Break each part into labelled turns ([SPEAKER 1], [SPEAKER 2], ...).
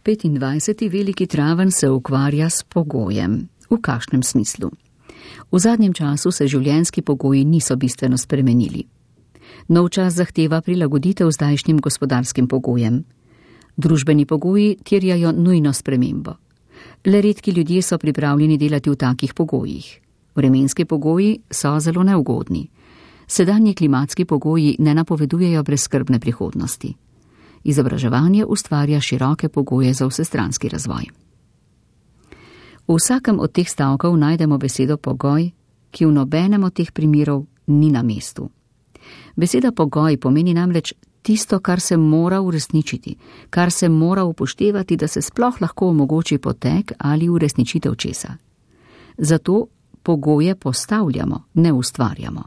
[SPEAKER 1] 25. veliki traven se ukvarja s pogojem. V kakšnem smislu? V zadnjem času se življenjski pogoji niso bistveno spremenili. Nov čas zahteva prilagoditev zdajšnjim gospodarskim pogojem. Družbeni pogoji terjajo nujno spremembo. Le redki ljudje so pripravljeni delati v takih pogojih. Vremenski pogoji so zelo neugodni. Sedanji klimatski pogoji ne napovedujejo brezskrbne prihodnosti. Izobraževanje ustvarja široke pogoje za vsestranski razvoj. V vsakem od teh stavkov najdemo besedo pogoj, ki v nobenem od teh primerov ni na mestu. Beseda pogoj pomeni namreč tisto, kar se mora uresničiti, kar se mora upoštevati, da se sploh lahko omogoči potek ali uresničitev česa. Zato pogoje postavljamo, ne ustvarjamo.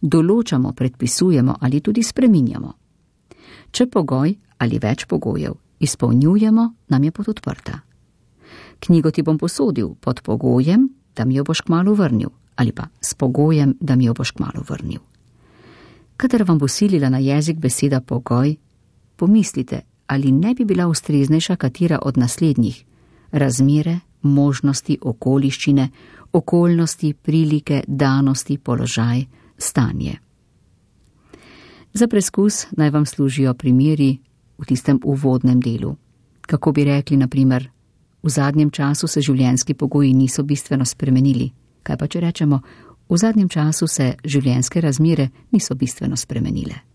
[SPEAKER 1] Določamo, predpisujemo ali tudi spreminjamo. Če pogoj ali več pogojev izpolnjujemo, nam je pot odprta. Knjigo ti bom posodil pod pogojem, da mi jo boš kmalu vrnil, ali pa s pogojem, da mi jo boš kmalu vrnil. Kadar vam bo silila na jezik beseda pogoj, pomislite, ali ne bi bila ustreznejša katera od naslednjih: razmere, možnosti, okoliščine, okoljnosti, prilike, danosti, položaj, stanje. Za preskus naj vam služijo primeri v tistem uvodnem delu. Kako bi rekli, na primer, v zadnjem času se življenjski pogoji niso bistveno spremenili. Kaj pa če rečemo, v zadnjem času se življenjske razmere niso bistveno spremenile?